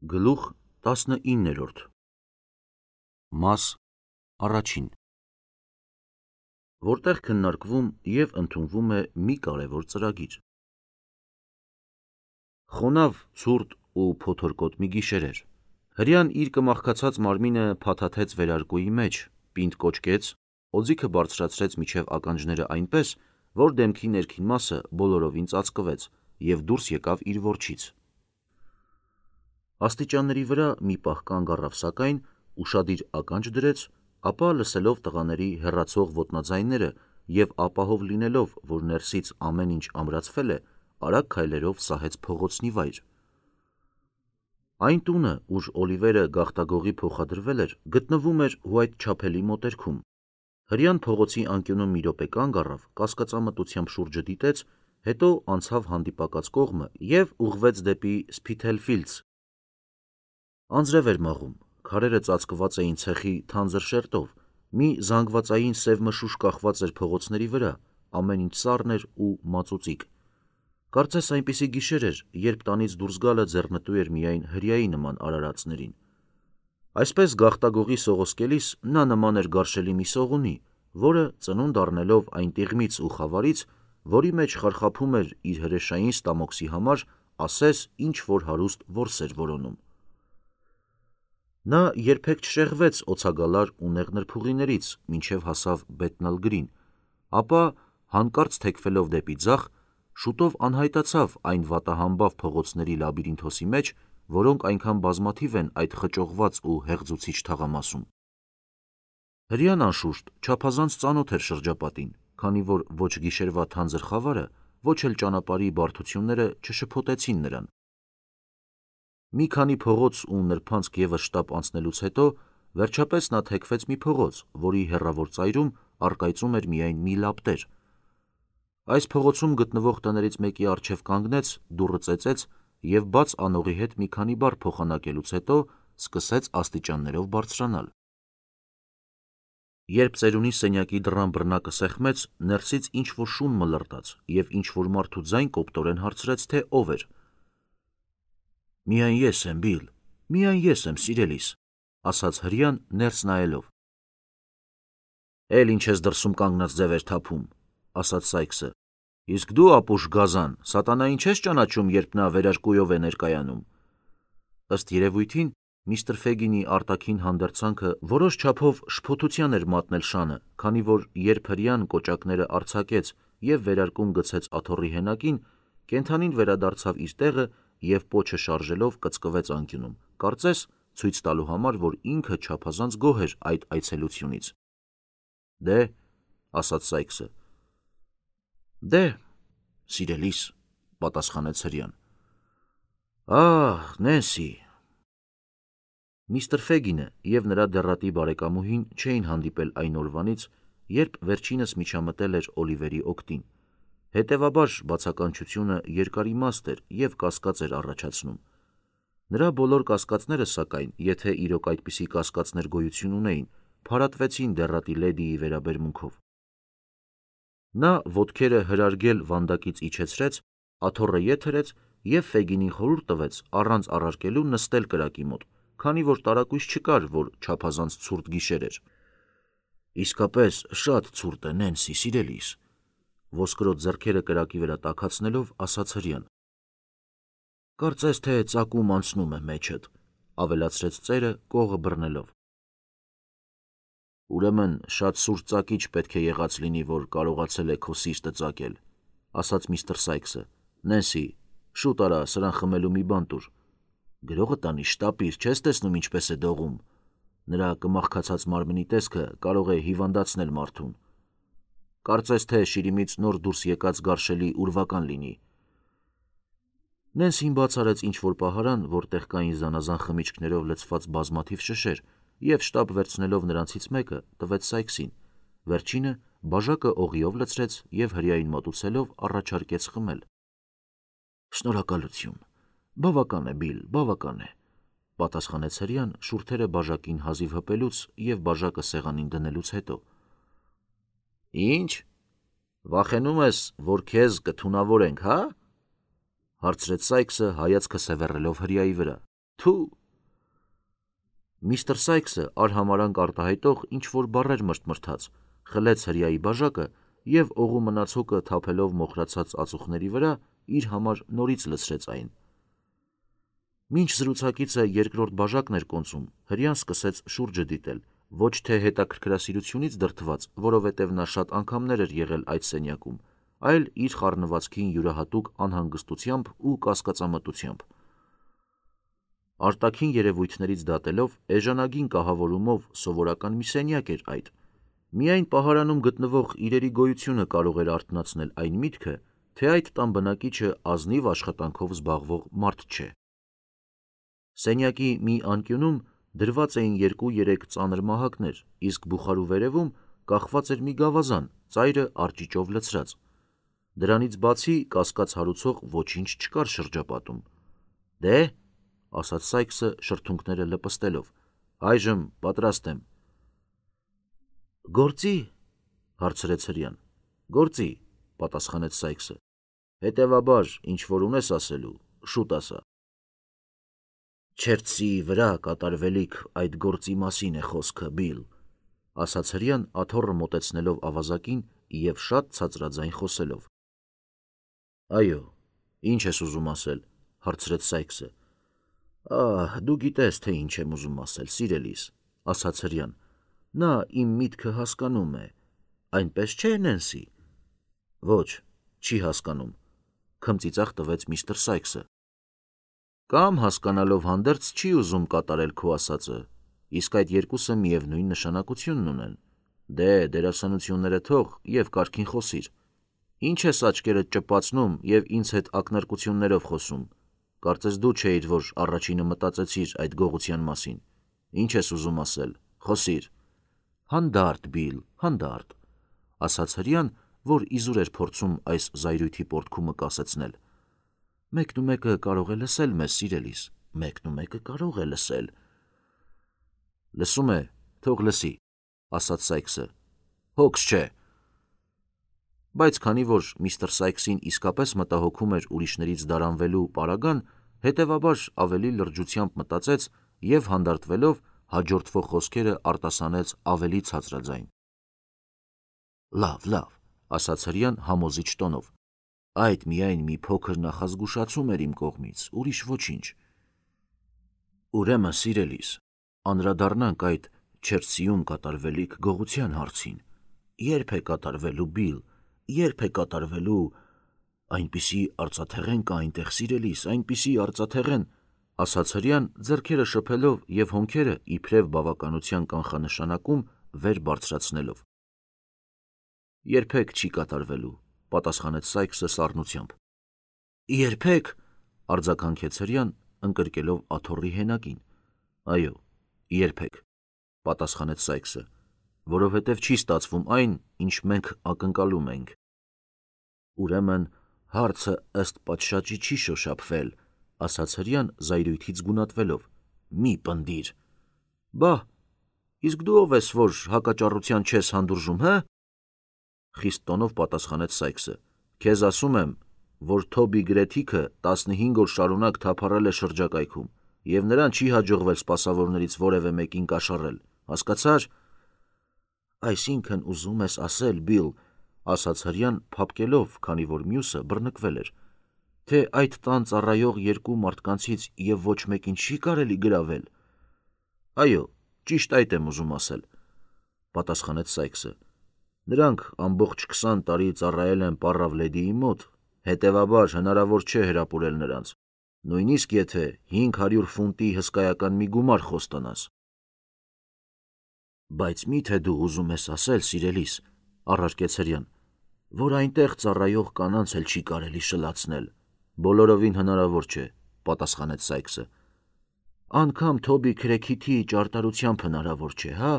Գլուխ 19 Մաս առաջին Որտեղ քննարկվում և ընդունվում է մի կարևոր ծրագիր։ Խոնավ, ցուրտ ու փոթորկոտ մի գիշեր էր։ Հրեան իր կմաղքացած մարմինը փաթաթեց վերարկուի մեջ, պինդ կոչկեց, օձիքը բարձրացրեց մինչև ականջները այնպես, որ դեմքի ներքին մասը բոլորովին ծածկվեց և դուրս եկավ իր որջից։ Աստիճանների վրա մի պահ կանգ առավ, սակայն ուշադիր ականջ դրեց, ապա լսելով տղաների հեռացող ոտնաձայները և ապահով լինելով, որ ներսից ամեն ինչ ամրացվել է, արագ քայլերով սահեց փողոցնի վայր։ Այն տունը, ուր Օլիվերը գաղտագողի փոխադրվել էր, գտնվում էր Ուայթչափելի մոտերքում։ Հրեան փողոցի անկյունում մի րոպե կանգ առավ, կասկածամտությամբ շուրջը դիտեց, հետո անցավ հանդիպակաց կողմը և ուղղվեց դեպի Սփիթելֆիլդս։ Անձրև էր մաղում, քարերը ծածկված էին ցեխի թանձր շերտով, մի զանգվածային սև մշուշ կախված էր փողոցների վրա, ամեն ինչ սառն էր ու մածուծիկ։ Կարծես այնպիսի գիշեր էր, երբ տանից դուրս գալը ձեռնտու էր միայն հրեայի նման արարածներին։ Այսպես գաղտագողի սողոսկելիս նա նման էր գարշելի մի սողունի, որը ծնունդ առնելով այն տիղմից ու խավարից, որի մեջ խարխափում էր իր հրեշային ստամոքսի համար, ասես ինչ-որ հարուստ որս էր որոնում։ Նա երբեք չշեղվեց օձագալար ու նեղ նրբուղիներից, մինչև հասավ Բեթնալգրին, ապա հանկարծ թեքվելով դեպի ձախ, շուտով անհայտացավ այն վատահամբավ փողոցների լաբիրինթոսի մեջ, որոնք այնքան բազմաթիվ են այդ խճողված ու հեղձուցիչ թաղամասում։ Հրեան անշուշտ չափազանց ծանոթ էր շրջապատին, քանի որ ոչ գիշերվա թանձր խավարը, ոչ էլ ճանապարհի բարդությունները չշփոթեցին նրան։ Մի քանի փողոց ու նրբանցք ևս շտապ անցնելուց հետո, վերջապես նա թեքվեց մի փողոց, որի հեռավոր ծայրում առկայծում էր միայն մի լապտեր։ Այս փողոցում գտնվող տներից մեկի առջև կանգնեց, դուռը ծեծեց և բաց անողի հետ մի քանի բառ փոխանակելուց հետո սկսեց աստիճաններով բարձրանալ։ Երբ ծերունի սենյակի դռան բռնակը սեղմեց, ներսից ինչ-որ շուն մլրտաց և ինչ-որ մարդու ձայն կոպտորեն հարցրեց, թե ով էր։ «Միայն ես եմ, Բիլ, միայն ես եմ, սիրելիս», ասաց հրեան ներս նայելով։ «Էլ ինչ ես դրսում կանգնած ձևեր թափում», ասաց Սայքսը։ «Իսկ դու, ապուշ գազան, սատանային չես ճանաչում, երբ նա վերարկուով է ներկայանում»։ Ըստ երևույթին, միստր Ֆեգինի արտաքին հանդերձանքը որոշ չափով շփոթության էր մատնել շանը, քանի որ երբ հրեան կոճակները արձակեց և վերարկուն գցեց աթոռի հենակին, կենդանին վերադարձավ իր տեղը և պոչը շարժելով կծկվեց անկյունում, կարծես ցույց տալու համար, որ ինքը չափազանց գոհ էր այդ այցելությունից։ «Դե», ասաց Սայքսը։ «Դե, սիրելիս», պատասխանեց հրեան։ «Ահ, Նենսի»։ Միստր Ֆեգինը և նրա դեռատի բարեկամուհին չէին հանդիպել այն օրվանից, երբ վերջինս միջամտել էր Օլիվերի օգտին, հետևաբար բացականչությունը երկարիմաստ էր և կասկած էր առաջացնում։ Նրա բոլոր կասկածները, սակայն, եթե իրոք այդպիսի կասկածներ գոյություն ունեին, փարատվեցին դեռատի լեդիի վերաբերմունքով։ Նա ոտքերը հրարգել վանդակից իջեցրեց, աթոռը ետ հրեց և Ֆեգինին խորհուրդ տվեց առանց առարկելու նստել կրակի մոտ, քանի որ տարակույս չկար, որ չափազանց ցուրտ գիշեր էր։ «Իսկապես շատ ցուրտ է, Նենսի, սիրելիս», ոսկրոտ ձեռքերը կրակի վրա տաքացնելով ասաց հրեան։ «Կարծես թե ծակում անցնում է մեջդ», ավելացրեց ծերը կողը բռնելով։ «Ուրեմն շատ սուր ծակիչ պետք է եղած լինի, որ կարողացել է քո սիրտը ծակել», ասաց միստր Սայքսը։ «Նենսի, շուտ արա, սրան խմելու մի բան տուր։ Գրողը տանի շտապիր, չես տեսնում ինչպես է դողում։ Նրա կմաղքացած մարմնի տեսքը կարող է հիվանդացնել մարդուն։ Կարծես թե շիրիմից նոր դուրս եկած գարշելի ուրվական լինի»։ Նենսին բաց արեց ինչ-որ պահարան, որտեղ կային զանազան խմիչքներով լցված բազմաթիվ շշեր, և շտապ վերցնելով նրանցից մեկը, տվեց Սայքսին, վերջինը բաժակը օղիով լցրեց և հրեային մոտուցելով առաջարկեց խմել։ «Շնորհակալություն, բավական է, Բիլ, բավական է», պատասխանեց հրեան շուրթերը բաժակին հազիվ հպելուց և բաժակը սեղանին դնելուց հետո։ «Ինչ, վախենում ես, որ քեզ կթունավորենք, հա՞, հարցրեց Սայքսը հայացքը սևեռելով հրեայի վրա։ Թու։ Միստր Սայքսը արհամարանք արտահայտող ինչ-որ բառեր մրթմրթաց, խլեց հրեայի բաժակը և օղու մնացոկը թափելով մոխրացած ածուխների վրա իր համար նորից լցրեց այն։ Մինչ զրուցակիցը երկրորդ բաժակն էր կոնծում, հրեան սկսեց շուրջը դիտել, ոչ թե հետաքրքրասիրությունից դրդված, որովհետև նա շատ անգամներ էր եղել այդ սենյակում, այլ իր խառնվածքին յուրահատուկ անհանգստությամբ ու կասկածամտությամբ։ Արտաքին երևույթներից դատելով, էժանագին կահավորումով սովորական մի սենյակ էր այդ։ Միայն պահարանում գտնվող իրերի գոյությունը կարող էր արթնացնել այն միտքը, թե այդ տան բնակիչը ազնիվ աշխատանքով զբաղվող մարդ չէ։ Սենյակի մի անկյունում դրված էին 2-3 ծանր մահակներ, իսկ բուխարու վերևում կախված էր մի գավազան, ծայրը արճիճով լցրած։ Դրանից բացի կասկած հարուցող ոչինչ չկար շրջապատում։ Դե, ասաց Սայքսը շրթունքները լպստելով, այժմ պատրաստ եմ։ Գործի, հարցրեց հրեան։ Գործի, պատասխանեց Սայքսը։ Հետևաբար, ինչ որ ունես ասելու, շուտ ասա։ Չերցի վրա կատարվելիք այդ գործի մասին է խոսքը, Բիլ, ասաց հրեան աթոռը մոտեցնելով ավազակին և շատ ցածրաձայն խոսելով։ Այո, ինչ ես ուզում ասել, հարցրեց Սայքսը։ Դու գիտես, թե ինչ եմ ուզում ասել, սիրելիս, ասաց հրեան։ Նա իմ միտքը հասկանում է, այնպես չէ, Նենսի։ Ոչ, չի հասկանում, քմծիծաղ տվեց միստր Սայքսը։ Կամ հասկանալով հանդերձ չի ուզում կատարել քո ասածը, իսկ այդ երկուսը միևնույն նշանակությունն ունեն։ Դե, դերասանությունները թող և կարգին խոսիր։ Ինչ ես աչքերդ ճպացնում և ինձ հետ ակնարկություններով խոսում։ Կարծես դու չէիր, որ առաջինը մտածեցիր այդ գողության մասին։ Ինչ ես ուզում ասել, խոսիր։ Հանդարտ, Բիլ, հանդարտ, ասաց հրեան, որ իզուր էր փորձում այս զայրույթի պոռթկումը կասեցնել։ Մեկնումեկը կարող է լսել մեզ, սիրելիս, մեկնումեկը կարող է լսել։ Լսում է, թող լսի, ասաց Սայքսը։ Հոգս չէ։ Բայց քանի որ միստր Սայքսին իսկապես մտահոգում էր ուրիշներից դարանվելու պարագան, հետևաբար ավելի լրջությամբ մտածեց և հանդարտվելով հաջորդվող խոսքերը արտասանեց ավելի ցածրաձայն։ Լավ, ասաց հրեան համոզիչ տոնով։ Այդ միայն մի փոքր նախազգուշացում էր իմ կողմից, ուրիշ ոչինչ։ Ուրեմն, սիրելիս, անդրադառնանք այդ Չերցիում կատարվելիք գողության հարցին։ Երբ է կատարվելու, Բիլ, երբ է կատարվելու։ Այնպիսի արծաթեղեն կա այնտեղ, սիրելիս, այնպիսի արծաթեղեն, ասաց հրեան ձեռքերը շփելով և հոնքերը իբրև բավականության կանխանշանակում վեր բարձրացնելով։ Երբեք չի կատարվելու, պատասխանեց Սայքսը սառնությամբ։ Երբեք, արձագանքեց հրեան, ընկրկելով աթոռի հենակին։ Այո, երբեք, պատասխանեց Սայքսը, որովհետև չի ստացվում այն, ինչ մենք ակնկալում ենք։ Ուրեմն հարցը ըստ պատշաճի չի շոշափվել, ասաց հրեան զայրույթից գունատվելով։ Մի պնդիր։ Բա, իսկ դու ով ես, որ հակաճառության չես հանդուրժում, հը։ Խիստ տոնով պատասխանեց Սայքսը։ Քեզ ասում եմ, որ Թոբի Գրեթիքը 15 օր շարունակ թափառել է շրջակայքում, և նրան չի հաջողվել սպասավորներից որևէ մեկին կաշառել, հասկացա՞ր։ Այսինքն ուզում ես ասել, Բիլ, ասաց հրեան փափկելով, քանի որ մյուսը բռնկվել էր, թե այդ տան ծառայող երկու մարդկանցից և ոչ մեկին չի կարելի գրավել։ Այո, ճիշտ այդ եմ ուզում ասել, պատասխանեց Սայքսը։ Նրանք ամբողջ 20 տարի ծառայել են պառավ լեդիի մոտ, հետևաբար հնարավոր չէ հրապուրել նրանց, նույնիսկ եթե 500 ֆունտի հսկայական մի գումար խոստանաս։ Բայց մի՞թե դու ուզում ես ասել, սիրելիս, առարկեց հրեան, որ այնտեղ ծառայող կանանց էլ չի կարելի շլացնել։ Բոլորովին հնարավոր չէ, պատասխանեց Սայքսը։ Անգամ Թոբի Քրեքիթի ճարտարությամբ հնարավոր չէ, հա,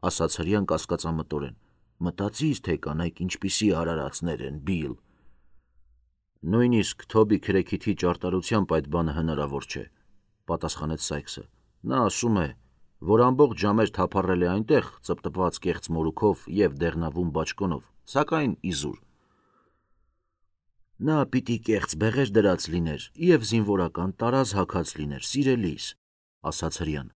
ասաց հրեան կասկածամտորեն։ Մտածիր, թե կանայք ինչպիսի արարածներ են, Բիլ։ Նույնիսկ Թոբի Քրեքիթի ճարտարությամբ այդ բանը հնարավոր չէ, պատասխանեց Սայքսը։ Նա ասում է, որ ամբողջ ժամեր թափառել է այնտեղ, ծպտպված կեղծ մորուքով և դեղնավուն բաճկոնով, սակայն իզուր։ Նա պիտի կեղծ բեղեր դրած լիներ և զինվորական տարազ հագած լիներ, սիրելիս, ասաց Հրեան։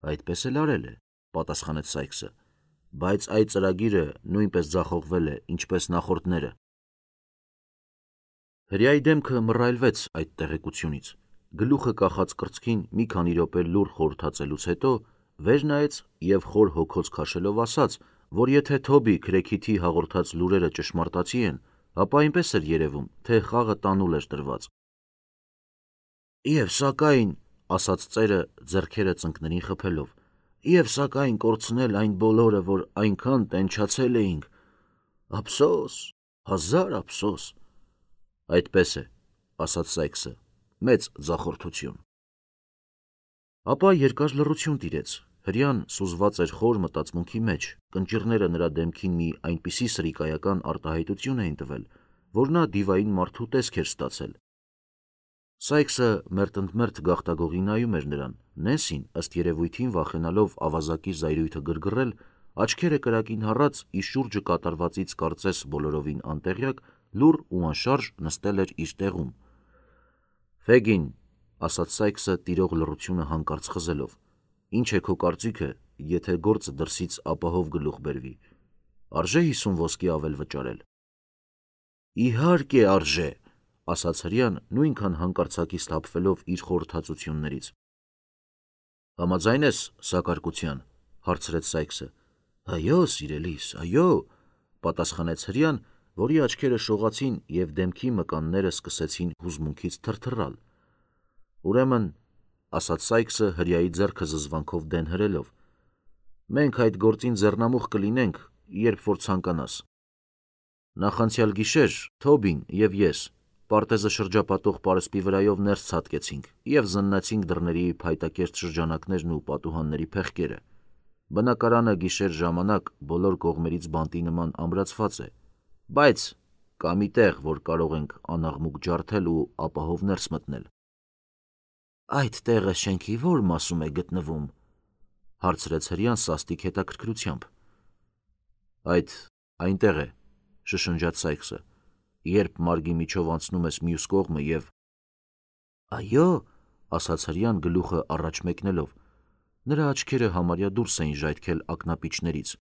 Այդպես էլ արել է, պատասխանեց Սայքսը, բայց այդ ծրագիրը նույնպես ձախողվել է, ինչպես նախորդները։ Հրեայի դեմքը մռայլվեց այդ տեղեկությունից, գլուխը կախած կրծքին մի քանի րոպե լուռ խորհրդածելուց հետո վեր նայեց և խոր հոգոց քաշելով ասաց, որ եթե Թոբի Քրեքիթի հաղորդած լուրերը ճշմարտացի են, ապա այնպես էր երևում, թե խաղը տանուլ էր տրված։ Եվ սակայն, ասաց ծերը ձեռքերը ծնկներին խփելով, և սակայն կորցնել այն բոլորը, որ այնքան տենչացել էինք, ափսոս, հազար ափսոս։ Այդպես է, ասաց Սայքսը, մեծ ձախորդություն։ Ապա երկար լռություն տիրեց, Հրեան սուզված էր խոր մտածմունքի մեջ, կնճիռները նրա դեմքին մի այնպիսի սրիկայական արտահայտություն էին տվել, որ նա դիվային մարդու տեսք էր ստացել։ Սայքսը մերթընդմերթ գաղտագողի նայում էր նրան, Նենսին, ըստ երևույթին վախենալով ավազակի զայրույթը գրգռել, աչքերը կրակին հառած իր շուրջը կատարվածից կարծես բոլորովին անտեղյակ, լուռ ու անշարժ նստել էր իր տեղում։ Ֆեգին, ասաց Սայքսը տիրող լռությունը հանկարծ խզելով, ինչ է քո կարծիքը, եթե գործը դրսից ապահով գլուխ բերվի, արժե 50 ոսկի ավել վճարել։ Իհարկե արժե, ասաց Հրեան նույնքան հանկարծակի սթափվելով իր խորհրդածություններից։ Համաձայն ես սակարկության, հարցրեց Սայքսը։ Այո, սիրելիս, այո, պատասխանեց Հրեան, որի աչքերը շողացին և դեմքի մկանները սկսեցին հուզմունքից թրթռալ։ Ուրեմն, ասաց Սայքսը Հրեայի ձեռքը զզվանքով դեն հրելով, մենք այդ գործին ձեռնամուխ կլինենք, երբ որ ցանկանաս։ Նախանցյալ գիշեր Թոբին և ես պարտեզը շրջապատող պարսպի վրայով ներս ցատկեցինք և զննեցինք դռների փայտակերտ շրջանակներն ու պատուհանների փեղկերը։ Բնակարանը գիշեր ժամանակ բոլոր կողմերից բանտի նման ամրացված է, բայց կա մի տեղ, որ կարող ենք անաղմուկ ջարդել ու ապահով ներս մտնել։ Այդ տեղը շենքի ո՞ր մասում է գտնվում, հարցրեց Հրեան սաստիկ հետաքրքրությամբ։ Այդ այնտեղ է, շշնջաց Սայքսը, երբ մարգի միջով անցնում ես մյուս կողմը և… Այո, ասաց Հրեան գլուխը առաջ մեկնելով, նրա աչքերը համարյա դուրս էին ժայթքել ակնապիճներից։